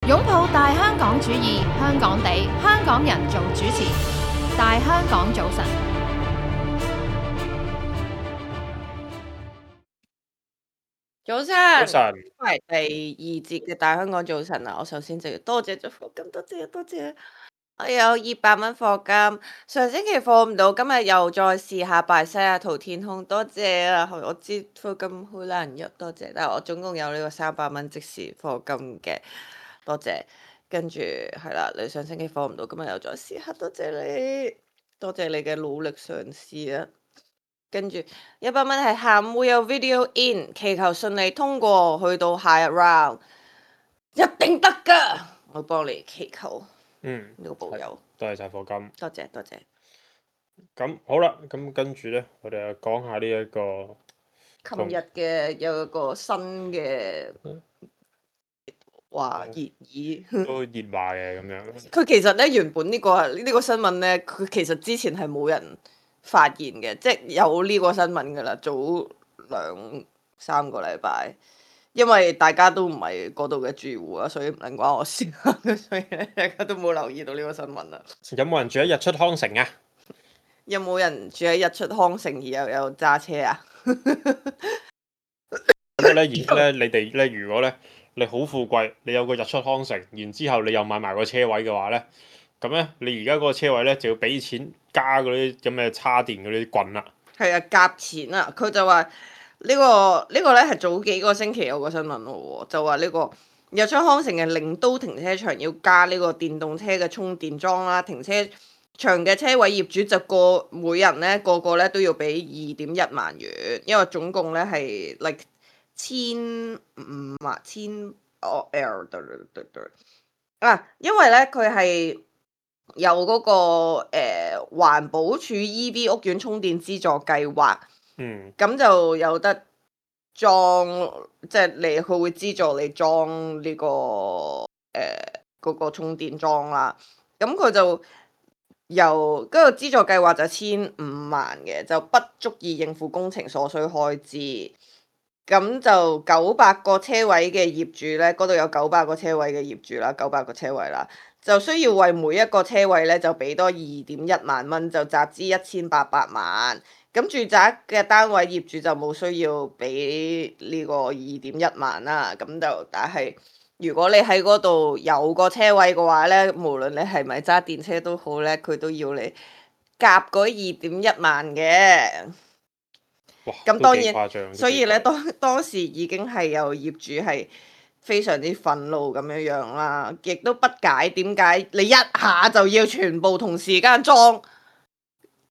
擁抱大香港主義，香港地，香港人做主持。大香港早晨，早早晨，晨，係第二節嘅大香港早晨啊！我首先就要多謝咗課金，多謝多謝。我有200蚊課金，上星期課唔到，今日又再試下拜西雅圖天空，多謝啊！我知課金好難入，多謝，但係我總共有呢個300蚊即時課金嘅，多謝。跟住係啦，你上星期課唔到，今日又再試下，多謝你，多謝你嘅努力嘗試啊！跟住100蚊係下午會有 video in，祈求順利通過去到下一 round，一定得㗎！我幫你祈求呢個保佑，多謝晒課金。多謝多謝。咁好啦，咁跟住呢，我哋就講下呢一個琴日嘅有一個新嘅話熱議，都熱話嘅咁樣。佢其實咧原本呢個新聞咧，佢其實之前係冇人發現嘅，即係有呢個新聞㗎啦，早2-3個禮拜。因為大家都唔係嗰度嘅住戶啊，所以唔能關我事，所以大家都冇留意到呢個新聞啦。有冇人住喺日出康城啊？有冇人住喺日出康城而又有揸車啊？咁咧，而家咧，你哋咧，如果咧你好富貴，你有個日出康城，然之後你又買埋個車位嘅話咧，咁咧你而家嗰個車位咧就要俾錢加嗰啲咁嘅叉電嗰啲棍啦。係啊，夾錢啊！佢就話呢個咧係早幾個星期有個新聞咯喎，就話呢個日出康城嘅令都停車場要加呢個電動車嘅充電樁啦，停車場嘅車位業主就每人咧個咧都要俾2.1萬元，因為總共咧係15,000因為咧佢係有嗰個環保署 EV 屋苑充電資助計劃，咁就有得裝，即係佢會資助你裝呢個嗰個充電樁啦。咁佢就由嗰個資助計劃就1,500,000嘅，就不足以應付工程所需開支。咁就900個車位嘅業主咧，嗰度有900個車位嘅業主啦，900個車位啦，就需要為每一個車位咧就俾多2.1萬蚊，就集資1,800萬。咁住宅嘅單位業主就冇需要俾呢個2.1萬啦。咁就但係如果你喺嗰度有個車位嘅話咧，無論你係咪揸電車都好咧，佢都要你夾嗰2.1萬嘅。咁當然，所以咧當時已經係有業主係非常之憤怒咁樣啦，亦都不解點解你一下就要全部同時間裝，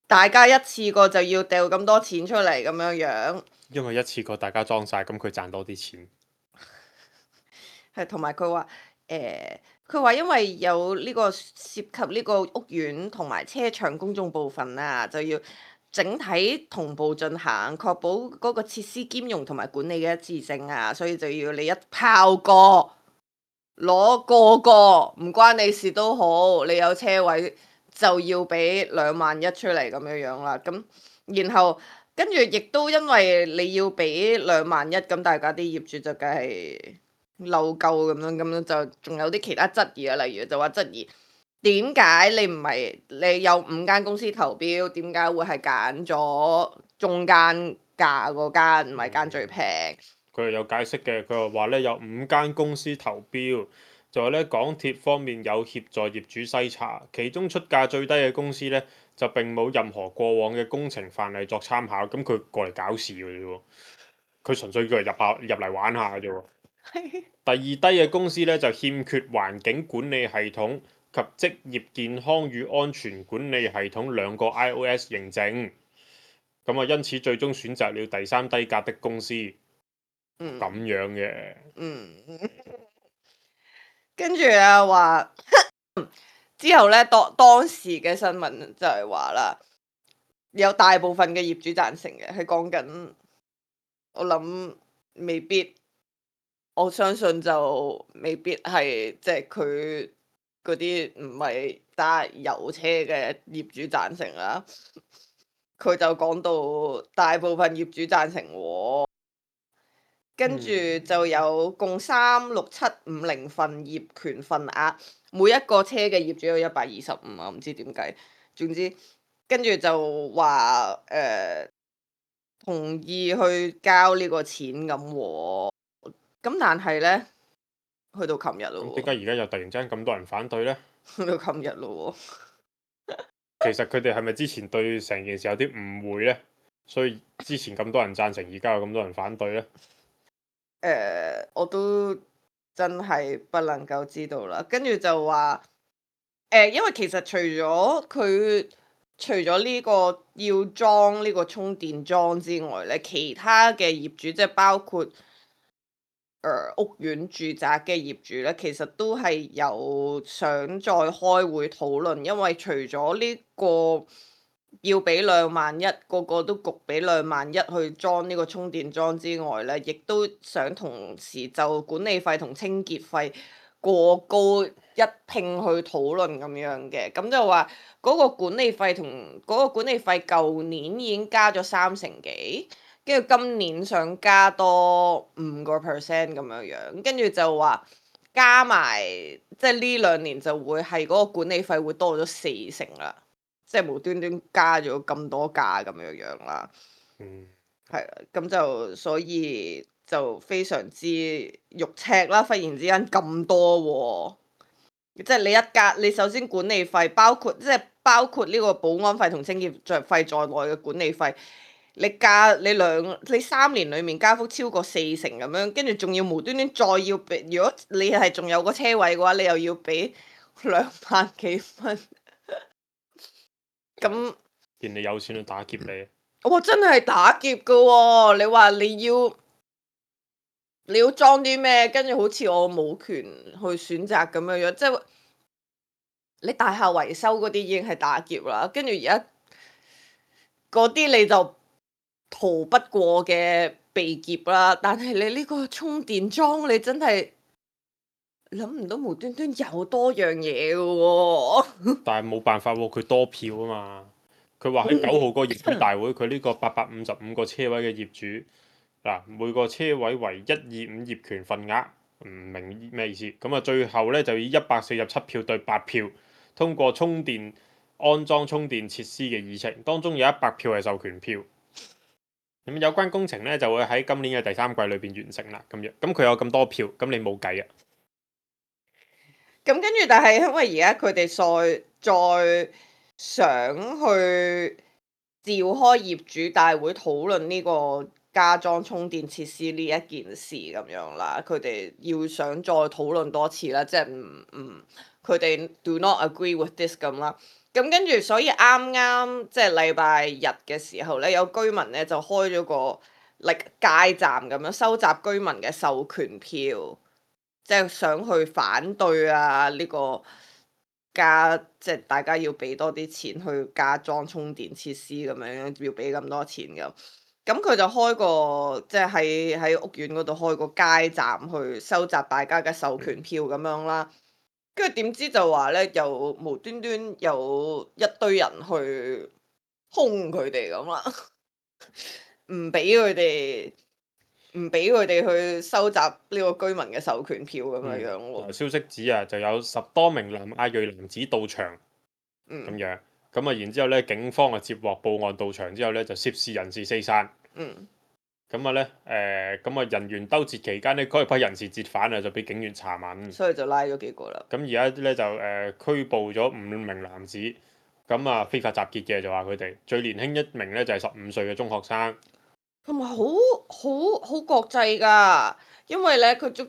大家一次過就要掉咁多錢出嚟咁樣。因為一次過大家裝晒，咁佢賺多啲錢。係同埋佢話佢話因為有呢個涉及呢個屋苑同埋車場公眾部分啊，就要整體同步進行，確保嗰個設施兼容同埋管理嘅一致性啊，所以就要你一炮過攞個唔關你事都好，你有車位就要俾2萬1出嚟咁樣啦。咁然後跟住亦都因為你要俾2萬1，咁大家啲業主就梗係嬲鳩咁樣就仲有啲其他質疑啊，例如就話質疑點解你唔係你有5間公司投標，點解會係揀咗中間價嗰間，唔係揀最平？佢係有解釋嘅，佢話咧有5間公司投標，就話咧港鐵方面有協助業主篩查，其中出價最低嘅公司咧就並冇任何過往嘅工程範例作參考，咁佢過嚟搞事嘅啫喎，佢純粹叫嚟入嚟玩下嘅啫喎。第二低嘅公司咧就欠缺環境管理系統及職業健康與安全管理系統2個 iOS 認證，咁啊因此最終選擇了第3低價的公司。咁樣嘅。跟住啊話之後咧，當時嘅新聞就係話啦，有大部分嘅業主贊成嘅，係講緊我諗未必。我相信就未必係即係佢嗰啲唔係揸油車嘅業主贊成啦。佢就講到大部分業主贊成喎。跟住就有共36750份業權份額，每一個車嘅業主有125啊，唔知點計。總之跟住就話同意去交呢個錢咁喎。咁但係呢，去到琴日咯點解而家又突然之間咁多人反對呢？去到琴日咯其實佢哋係咪之前對成件事有啲誤會呢？所以之前咁多人贊成，而家有咁多人反對呢？我都真係不能夠知道啦。跟住就話因為其實除咗呢個要裝呢個充電樁之外咧，其他嘅業主即係包括屋苑住宅嘅業主咧，其實都係有想再開會討論，因為除咗呢個要俾2萬1，個個都焗俾2萬1去裝呢個充電樁之外咧，亦都想同時就管理費同清潔費過高一拼去討論咁樣嘅。咁就話嗰個管理費舊年已經加咗30幾，跟住今年想加多5%咁樣樣，跟住就話加埋即係呢2年就會係嗰個管理費會多咗40%啦，即係無端端加咗咁多價咁樣樣啦。係啦，咁就所以就非常之肉赤啦，忽然之間咁多喎。即係你首先管理費包括呢個保安費同清潔費在內嘅管理費，你3年裡面加幅超過40%咁樣，跟住仲要無端端再要俾，如果你係仲有個車位嘅話，你又要俾2萬幾蚊。咁見你有錢去打劫你，我真係打劫㗎喎！你話你要裝啲咩？跟住好似我冇權去選擇咁樣樣，即係你大廈維修嗰啲已經係打劫啦，跟住而家嗰啲你就逃不過嘅被劫啦。但係你呢個充電樁，你真係諗唔到無端端有多樣嘢嘅喎。但係冇辦法喎，佢多票啊嘛。佢話喺9號個業主大會，佢呢個855個車位嘅業主嗱，每個車位為125業權份額，唔明咩意思。咁啊，最後呢，就以147票對8票通過安裝充電設施嘅議程，當中有100票係授權票。咁有關工程呢，就會喺今年嘅第3季裏邊完成啦。咁樣，咁佢有咁多票，咁你冇計啊。咁跟住，但係因為而家佢哋再想去召開業主大會討論呢個加裝充電設施呢一件事咁樣啦，佢哋要想再討論多次啦，即係佢哋 do not agree with this 咁啦。咁跟住，所以啱啱即係禮拜日嘅時候咧，有居民咧就開咗個街站咁樣收集居民嘅授權票。即係想去反對啊！呢個即係大家要俾多啲錢去加裝充電設施咁樣，要俾咁多錢咁。咁佢就開個即係喺屋苑嗰度開個街站去收集大家嘅授權票咁樣啦。跟住點知就話咧，又無端端有一堆人去兇佢哋咁啦，唔俾佢哋去收集呢個居民嘅授權票咁樣樣喎。消息指啊，就有10多名南亞裔男子到場，咁樣咁啊，然之後咧，警方啊接獲報案到場之後咧，就涉事人士四散。咁啊咧，咁啊人員兜截期間呢，嗰批人士折返啊，就俾警員查問，所以就拉咗幾個啦。咁而家咧就拘捕咗5名男子，咁啊非法集結嘅就話佢哋最年輕一名咧就係15歲嘅中學生。同埋好國際㗎，因為咧佢足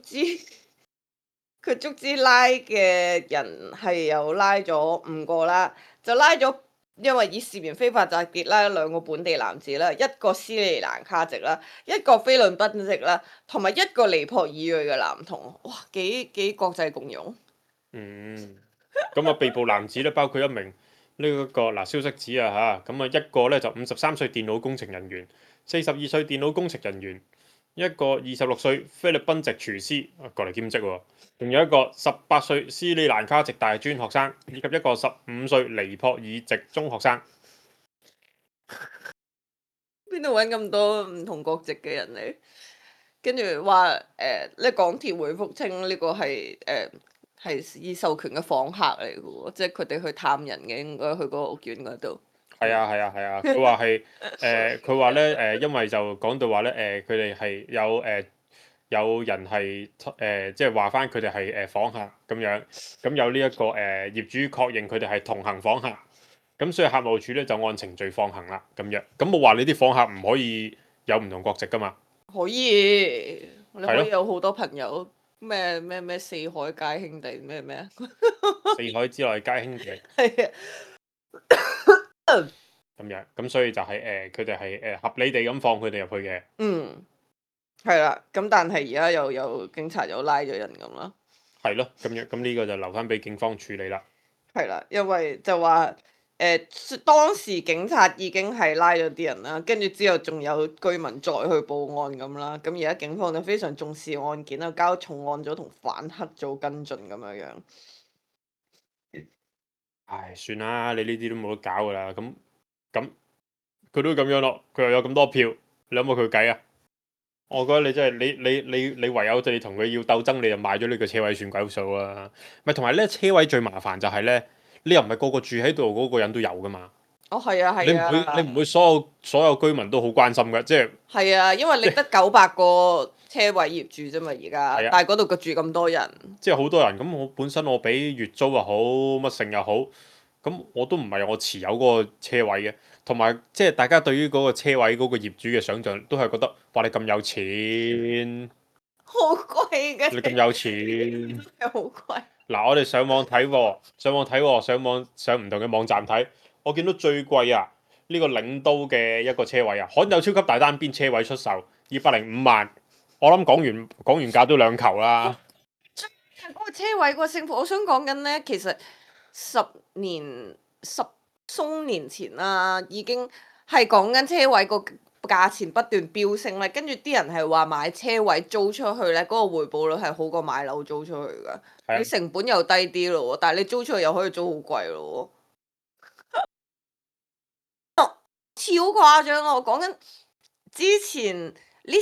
之拉嘅人係有拉咗5個啦，就拉咗因為以涉嫌非法集結拉咗2個本地男子啦，一個斯里蘭卡籍啦，一個菲律賓籍啦，同埋一個尼泊爾裔嘅男童，哇幾國際共融。咁啊被捕男子咧包括一名呢一個嗱消息指啊嚇，咁啊一個咧就53歲電腦工程人員，42歲電腦工程人員，一個26歲菲律賓籍廚師過嚟兼職喎，仲有一個18歲斯里蘭卡籍大專學生，以及一個15歲尼泊爾籍中學生。邊度揾咁多唔同國籍嘅人嚟？跟住話呢港鐵回覆稱呢個係已授權嘅訪客嚟嘅喎，即係佢哋去探人嘅，應該去嗰個屋苑嗰度。係啊係啊係啊，佢話係佢話咧因為就講到話咧佢哋係有人係即係話翻佢哋係訪客咁樣，咁有呢一個業主確認佢哋係同行訪客，咁所以客務處咧就按程序放行啦咁樣。咁冇話你啲訪客唔可以有唔同國籍噶嘛？可以，你可係咯以有好多朋友，咩四海皆兄弟咩啊？四海之內皆兄弟係啊，咁樣，咁所以就係佢哋係合理地咁放佢哋入去嘅。嗯，係啦。咁但係而家又有警察又拉咗人咁啦。係咯，咁樣咁呢個就留翻俾警方處理啦。係啦，因為就話當時警察已經係拉咗啲人啦，跟住之後仲有居民再去報案咁啦。咁而家警方就非常重視案件啦，交重案組同反黑組跟進咁樣樣。唉，算啦，你呢啲都冇得搞噶啦。咁佢都咁樣咯，佢又有咁多票，你有冇佢計啊？我覺得你真係你唯有你同佢要鬥爭，你就買咗呢個車位算鬼數啦。咪同埋咧，車位最麻煩就係咧，你又唔係個個住喺度嗰個人都有噶嘛。哦，係啊，你唔係啊，會你唔會所有居民都好關心嘅，即係係啊，因為你得900個車位業主啫嘛，而家，係啊但係嗰度住咁多人。即係好多人咁。我本身我俾月租又好，乜剩又好，咁我都唔係我持有嗰個車位嘅。同埋即係大家對於嗰個車位嗰個業主嘅想像，都係覺得哇你咁有錢，好貴嘅，你咁有錢。係好貴。嗱，我哋上網睇喎，上唔同嘅網站睇，我見到最貴啊，呢個領都嘅一個車位啊，罕有超級大單邊車位出售205萬，我諗講完價都兩球啦。嗰個車位個升幅，我想講緊呢，其實十鬆年前啦，已經係講緊車位個價錢不斷飆升咧，跟住啲人係話買車位租出去咧，嗰個回報率係好過買樓租出去噶，係啊你成本又低啲咯，但係你租出去又可以租好貴咯，超誇張啊！我講緊之前呢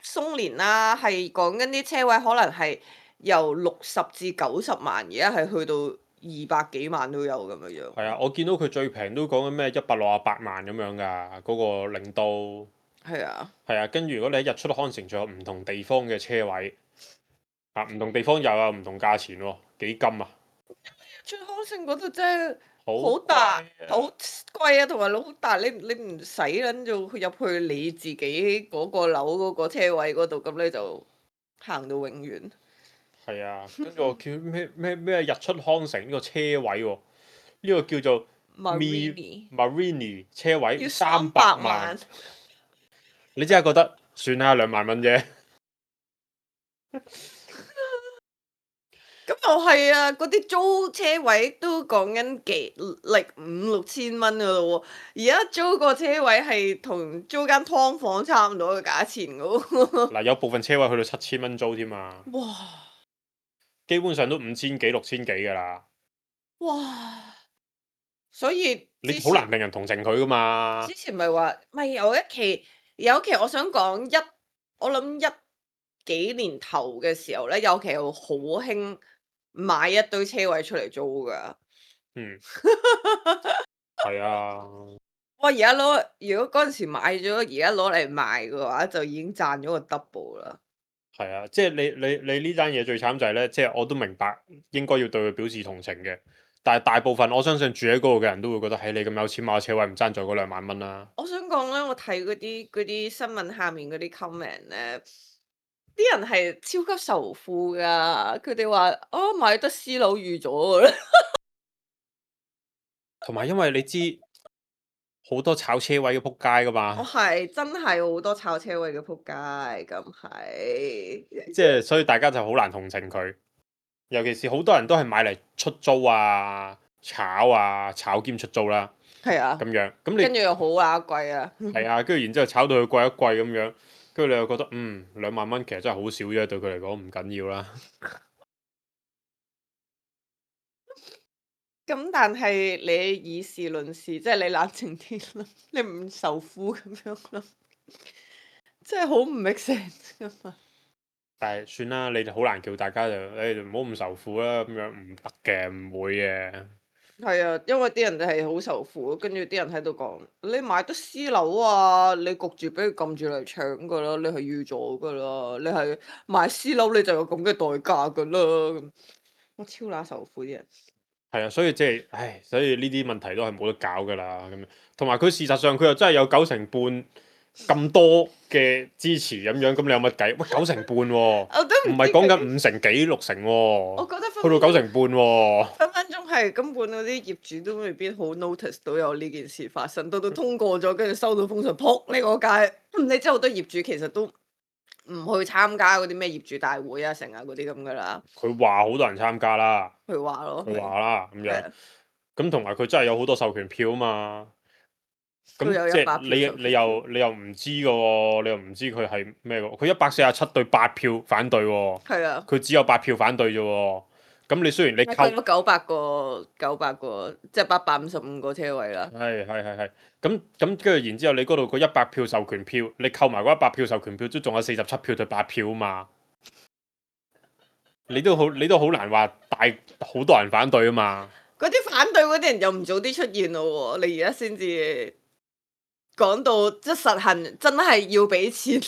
鬆年啦，係講緊啲車位可能係由60至90萬，而家係去到200幾萬都有咁樣樣。係啊，我見到佢最平都講緊咩168萬咁樣㗎，嗰個領都係啊，係啊。跟住如果你喺日出康城，仲有唔同地方嘅車位啊，唔同地方又有唔同價錢喎，幾金啊！最康城嗰度真係好好大，貴啊好貴啊，同埋好大，你唔使撚做入去你自己嗰個樓嗰個車位嗰度，咁你就行到永遠。係啊，跟住我叫咩日出康城呢個車位喎，呢個叫做 Marini 車位要300 300萬，你真係覺得算啦，2萬蚊啫。咁又係啊！嗰啲租車位都講緊5、6千蚊噶咯喎，而家租個車位係同租間劏房差唔多嘅價錢噶喎。嗱，有部分車位去到7000蚊租添嘛，哇！基本上都5000幾6000幾㗎啦。哇！所以你好難令人同情佢噶嘛之。前咪話，咪有一期我想講我諗幾年頭嘅時候咧，有期好興買一堆車位出嚟租噶。嗯，係啊，哇！如果嗰陣時買咗，而家攞嚟賣嘅話，就已經賺咗個 double 啦。係啊，即係你呢單嘢最慘就係咧，即係我都明白應該要對佢表示同情嘅，但係大部分我相信住喺嗰度嘅人都會覺得，嘿，你咁有錢買個車位唔爭在嗰2萬蚊啦。我想講咧，我睇嗰啲新聞下面嗰啲 comment 咧，啲人係超級仇富噶，佢哋話哦買得私樓預咗㗎啦。同埋因為你知好多炒車位嘅仆街噶我嘛，係真係好多炒車位嘅仆街，咁係。即係所以大家就好難同情佢，尤其是好多人都係買嚟出租啊、炒兼出租啦，係啊，咁樣咁你跟住又好貴啊。係啊，跟住然之後炒到佢貴一貴咁樣，跟住你又覺得2萬蚊其實真係好少啫，對佢嚟講唔緊要啦。咁但係你以事論事，即係你冷靜啲啦，你唔仇富咁樣咯。真係好唔 make sense 噶嘛。但係算啦，你哋好難叫大家就誒唔好咁受苦啦，咁樣唔得嘅，唔會嘅。係啊，因為啲人係好受苦，跟住啲人喺度講：你買得私樓啊，你焗住俾佢撳住嚟搶噶啦，你係預咗噶啦，你係買私樓你就有咁嘅代價噶啦。咁我超乸受苦啲人。係啊，所以即係，唉，所以呢啲問題都係冇得搞噶啦，咁樣。同埋佢事實上佢又真係有9成半咁多嘅支持咁樣，咁你有乜計？喂，9成半喎，我都唔係講緊5成幾6成喎，我覺得去到9成半喎。分分鐘係根本嗰啲業主都未必好 notice 到有呢件事發生，到通過咗，跟住收到封信，撲呢個街。你知好多業主其實都唔去參加嗰啲咩業主大會啊、成啊嗰啲咁噶啦。佢話好多人參加啦，佢話咯，佢話啦咁樣。係啊咁同埋佢真係有好多授權票啊嘛。咁佢有即100票係你又唔知嘅喎，你又唔知佢係咩嘅喎？佢147對8票反對喎，係啊，佢只有8票反對啫喎。咁你雖然你佢扣有900個，即係855個車位啦。係，咁跟住然之後你嗰度嗰100票授權票，你扣埋嗰100票授權票，都仲有47票對8票啊嘛。你都好難話好多人反對啊嘛。嗰啲反對嗰啲人又唔早啲出現咯喎，你而家先至講到即係實行，真係要俾錢，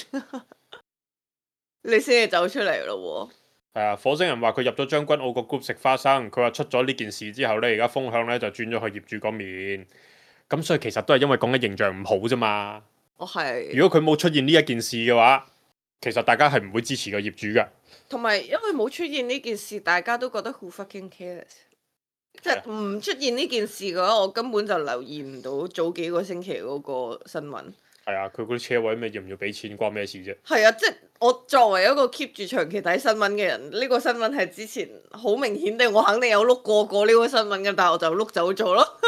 你先至走出嚟咯係啊，火星人話佢入咗將軍澳個 group 食花生，佢話出咗呢件事之後呢，而家風向呢就轉咗去業主嗰面，咁所以其實都係因為講緊形象唔好啫嘛。喎。係。如果佢冇出現呢一件事嘅話，其實大家係唔會支持個業主嘅。同埋因為冇出現呢件事，大家都覺得 who fucking cares。即係唔出現呢件事嘅話，我根本就留意唔到早幾個星期嗰個新聞。係啊，佢嗰啲車位咩要唔要俾錢，關咩事啫？係啊，即係我作為一個 keep 住長期睇新聞嘅人，呢個新聞係之前好明顯地我肯定有碌過呢個新聞嘅，但係我就碌走咗咯。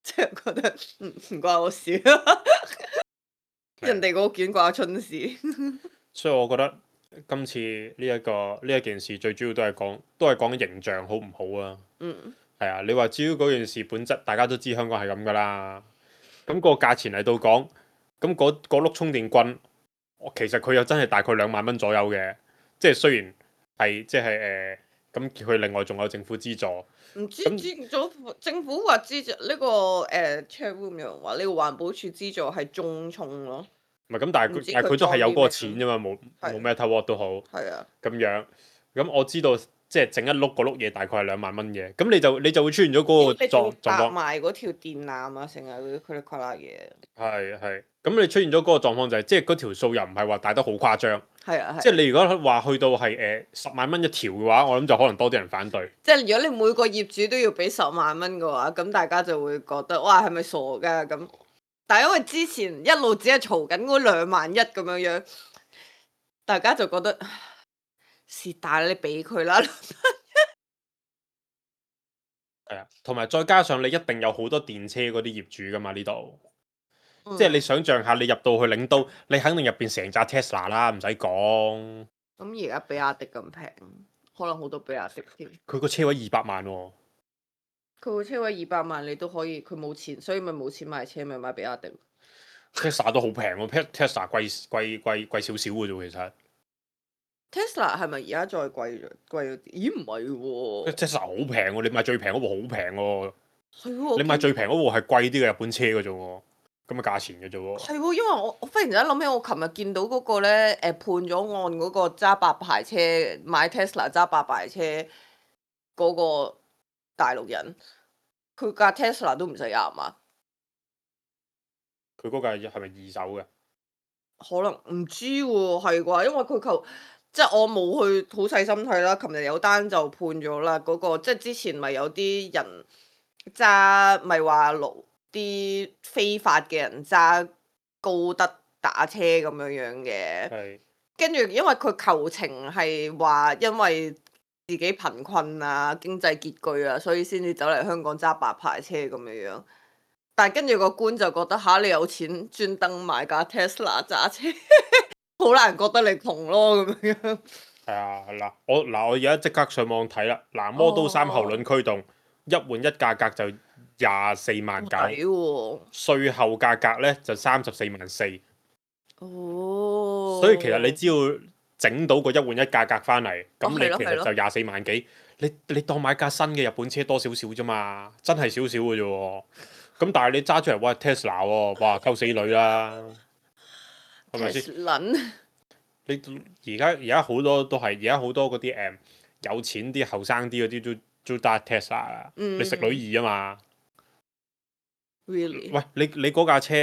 即係覺得唔關我事，人哋個卷掛春事。所以我覺得今次呢一件事最主要都係講形象好唔好啊。係啊，你話至於嗰件事本質，大家都知香港係咁噶啦。咁個價錢嚟到講，咁嗰碌充電棍，其實佢又真係大概2萬蚊左右嘅。即係雖然係即係咁佢另外仲有政府資助。唔知政府話資助呢個chatroom 有人話呢個環保署資助係中充咯。唔係咁，但係佢都係有嗰個錢啫嘛，冇 Meta Watt 都好。係啊。咁樣，咁我知道即係整一碌嗰碌嘢大概係2萬蚊嘅，咁你就會出現咗嗰個狀況。埋嗰條電纜啊，成日嗰啲佢哋跨拉嘢。係，咁你出現咗嗰個狀況就係，即係嗰條數又唔係話大得好誇張。係啊。即係你如果話去到係10萬蚊一條嘅話，我諗就可能多啲人反對。即係如果你每個業主都要俾10萬蚊嘅話，咁大家就會覺得哇係咪傻㗎咁？但係因為之前一路只係嘈緊嗰2萬1咁樣樣，大家就覺得是但你俾佢啦。係啊，同埋再加上你一定有好多電車嗰啲業主噶嘛呢度。即係你想象下，你入到去領都，你肯定入邊成扎 Tesla 啦，唔使講。咁而家比亞迪咁平，可能好多比亞迪添。佢個車位200萬喎。佢個車位200萬，你都可以，佢冇錢，所以咪冇錢買車，咪買比亞迪。Tesla 都好平喎，Tesla 貴少少嘅啫，其實。Tesla 係咪而家再貴咗？咦唔係喎。Tesla 好平喎，你買最平嗰部好平喎。係喎。你買最平嗰部係貴啲嘅日本車嘅啫喎，咁嘅價錢嘅啫喎。係喎，因為我忽然之間諗起，我琴日見到嗰個咧判咗案嗰個揸白牌車買 Tesla 揸白牌車嗰個大陸人，佢架 Tesla 都唔使20萬。佢嗰架係咪二手嘅？可能唔知喎，係啩？因為佢即係我冇去好細心睇啦。琴日有單就判咗啦，嗰個即係之前咪有啲人揸，咪話啲非法嘅人揸高德打車咁樣樣嘅。係。跟住因為佢求情係話，因為自己貧困啊、經濟拮據啊，所以先至走嚟香港揸白牌車咁樣樣。但係跟住個官就覺得吓，你有錢專登買架 Tesla 揸車，好難覺得你窮咯咁樣。係啊，我而家即刻上網睇啦。嗱，Model 3後輪驅動一換一價格就24萬9，稅後價格咧就34萬4，哦。所以其實你只要整到個一換一價格翻嚟，咁你係咯係咯其實就24萬幾。你當買架新嘅日本車多少少啫嘛，真係少少嘅啫喎。咁但係你揸出嚟，哇 Tesla 喎，哇溝死女啦，係咪先？ Tesla 你而家好多都係，而家好多嗰啲有錢啲後生啲嗰啲都揸 Tesla 啦。你食女兒啊嘛。 really 喂，你嗰架車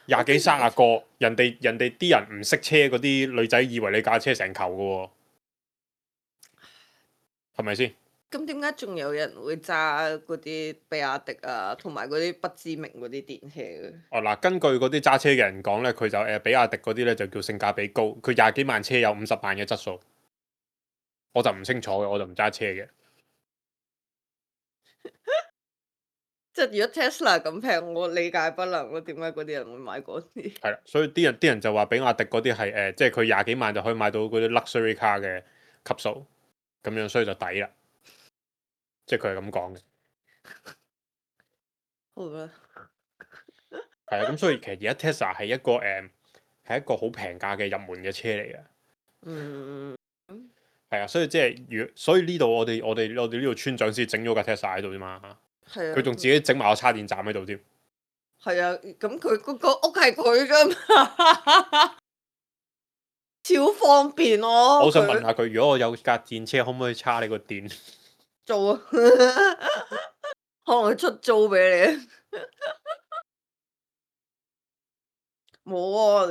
廿幾30個，人哋啲人唔識車嗰啲女仔以為你架車成球嘅喎，係咪先？咁點解仲有人會揸嗰啲比亞迪啊，同埋嗰啲不知名嗰啲電車嘅？哦嗱，根據嗰啲揸車嘅人講咧，佢就比亞迪嗰啲咧就叫性價比高，佢廿幾萬車有50萬嘅質素，我就唔清楚嘅，我就唔揸車嘅。即係如果 Tesla 咁平，我理解不能咯。點解嗰啲人會買嗰啲？係啦，所以啲人就話比亞迪嗰啲係即係佢廿幾萬就可以買到嗰啲 luxury car 嘅級數，咁樣所以就抵啦。即係佢係咁講嘅。好啦，係啊，咁所以其實而家 Tesla 係一個好平價嘅入門嘅車嚟嘅。嗯，係啊，所以即係所以呢度我哋呢度村長先整咗架 Tesla 喺度啫嘛。係啊。佢仲自己整埋個叉電站喺度添。係啊，咁佢嗰個屋係佢噶嘛，超方便咯。我想問下佢，如果我有架電車，可唔可以叉你個電？租啊，可能佢出租俾你。冇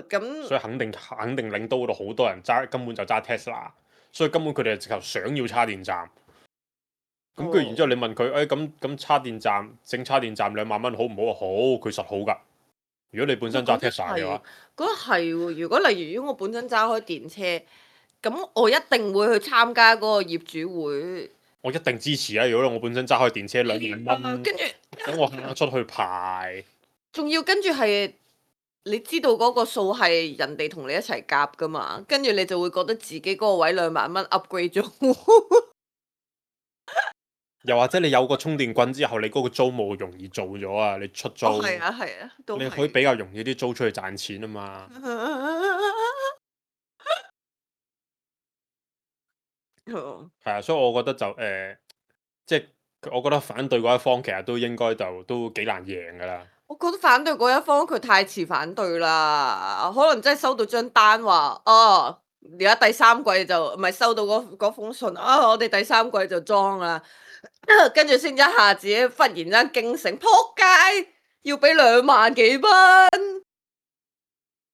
喎，咁所以肯定令到嗰度好多人揸，根本就揸 Tesla，所以根本佢哋直頭想要叉電站。咁跟住然之後你問佢，咁叉電站整叉電站2萬蚊好唔好啊？好，佢實好㗎。如果你本身揸 Tesla 嘅話，覺得係喎。如果例如我本身揸開電車，咁我一定會去參加嗰個業主會。我一定支持啊！如果我本身揸開電車2萬蚊，跟住等我出去排，仲要跟住係你知道嗰個數係人哋同你一齊夾噶嘛，跟住你就會覺得自己嗰個位2萬蚊 upgrade 咗。又或者你有個充電棍之後，你嗰個租務容易做咗啊！你出租，係啊係啊，都你可以比較容易啲租出去賺錢啊嘛。係啊，所以我覺得就即係我覺得反對嗰一方其實都應該都幾難贏噶啦。我覺得反對嗰一方佢太遲反對啦，可能真係收到張單話，哦，而家第3季就唔係收到嗰封信啊，我哋第3季就裝啦，跟住先一下子忽然間驚醒，撲街要俾2萬幾蚊，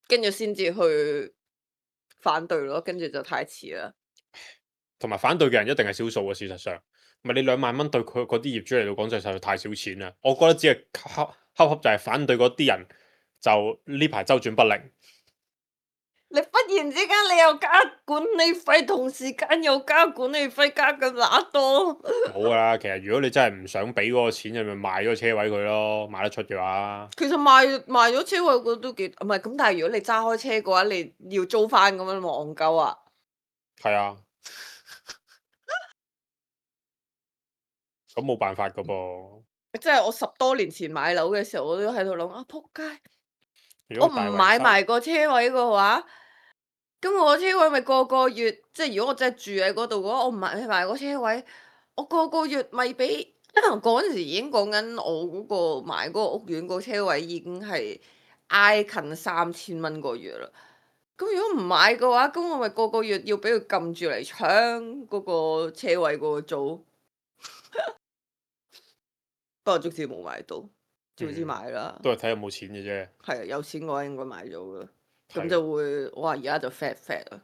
跟住先至去反對咯，跟住就太遲啦。同埋反對嘅人一定係少數嘅，事實上，唔係你2萬蚊對佢嗰啲業主嚟到講就實在太少錢啦。我覺得只係恰就係反對嗰啲人就呢排周轉不靈。你忽然之間你又加管理費，同時間又加管理費，加咁乸多。冇噶啦，其實如果你真係唔想俾嗰個錢，你咪賣咗車位佢咯，賣得出嘅話。其實賣咗車位，我覺得都幾唔係咁，但係如果你揸開車嘅話，你要租翻咁樣，戇鳩啊！係啊，咁冇辦法噶噃。即係我10多年前買樓嘅時候，我都喺度諗啊，仆街！我唔如果大圍買埋個車位嘅話，咁我個車位咪個月，即係如果我真係住喺嗰度嘅話，我唔買埋個車位，我個月咪俾嗰陣時已經講緊我嗰個買嗰個屋苑個車位已經係挨近3000蚊個月啦。咁如果唔買嘅話，咁我咪個月要俾佢撳住嚟搶嗰個車位嗰個租。不過足之冇買到，早知買啦。都係睇有冇錢嘅啫。係啊，有錢嘅話應該買咗噶，咁係就會我話而家就 fat 啊，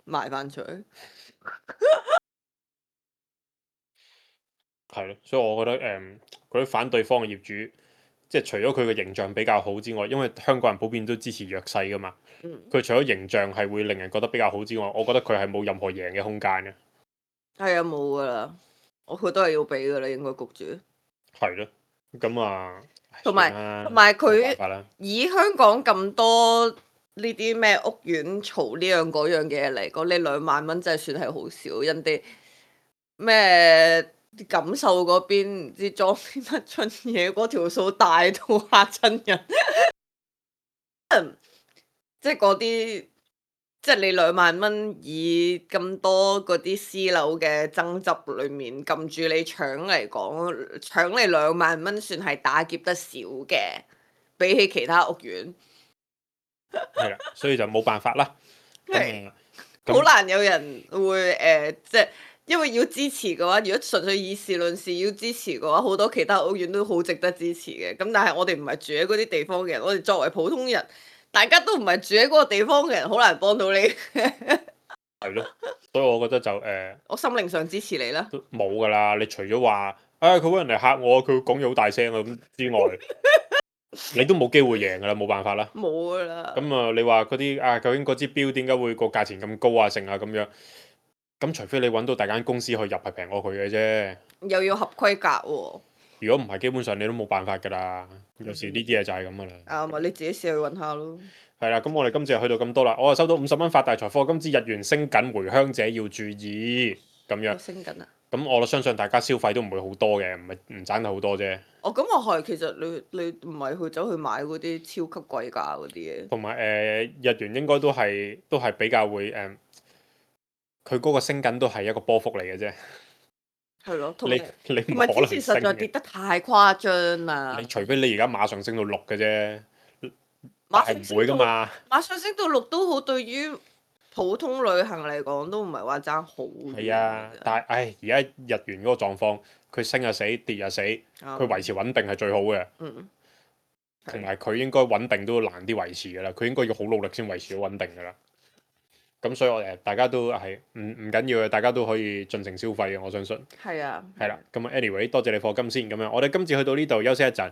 賣翻出去。係咯，所以我覺得嗰啲反對方嘅業主，即係除咗佢嘅形象比較好之外，因為香港人普遍都支持弱勢噶嘛。佢除咗形象係會令人覺得比較好之外，我覺得佢係冇任何贏嘅空間嘅。係啊，冇噶啦，佢都係要俾噶啦，應該焗住。係咯，咁啊，同埋佢以香港咁多呢啲咩屋苑嘈呢樣嗰樣嘅嘢嚟講，你2萬蚊真係算係好少。人哋咩感受嗰邊唔知裝啲乜春嘢，嗰條數大到嚇親人。即係嗰啲，即係你2萬蚊以咁多嗰啲私樓嘅爭執裏面撳住你搶嚟講，搶你2萬蚊算係打劫得少嘅，比起其他屋苑。係啦，所以就冇辦法啦。係咁好難有人會即係因為要支持嘅話，如果純粹以事論事要支持嘅話，好多其他屋苑都好值得支持嘅。咁但係我哋唔係住喺嗰啲地方嘅人，我哋作為普通人，大家都唔係住喺嗰個地方嘅人，好難幫到你。係咯，所以我覺得就我心靈上支持你啦。都冇噶啦。你除咗話佢揾人嚟嚇我，佢講嘢好大聲啊咁之外，你都冇機會贏噶啦，冇辦法啦。冇噶啦。咁啊，你話嗰啲究竟嗰支標點解會個價錢咁高啊？成啊咁樣，咁除非你揾到大間公司去入係平過佢嘅啫。又要合規格喎。如果唔係，基本上你都冇辦法噶啦。有時呢啲嘢就係咁噶啦。咪你自己試去揾下咯。係啦，咁我哋今次就去到咁多啦。我啊收到50蚊發大財課金之日元升緊，回鄉者要注意咁樣。升緊啊！咁我相信大家消費都唔會好多嘅，唔賺得好多啫。咁我係其實你唔係去走去買嗰啲超級貴價嗰啲嘢。同埋日元應該都係比較會佢嗰個升緊都係一個波幅嚟嘅啫。係咯，你唔可能升嘅。之前實在跌得太誇張啦。你除非你而家馬上升到6嘅啫，係唔會噶嘛。馬上升到6都好，對於普通旅行嚟講都唔係話爭好遠。係啊，但係而家日元嗰個狀況，佢升就死，跌就死，佢維持穩定係最好嘅。同埋佢應該穩定都難啲維持㗎啦，佢應該要好努力先維持到穩定㗎啦。咁所以我大家都係唔緊要嘅，大家都可以盡情消費嘅，我相信。係啊。係啦，咁 anyway 多謝你課金先咁樣，我哋今次去到呢度休息一陣。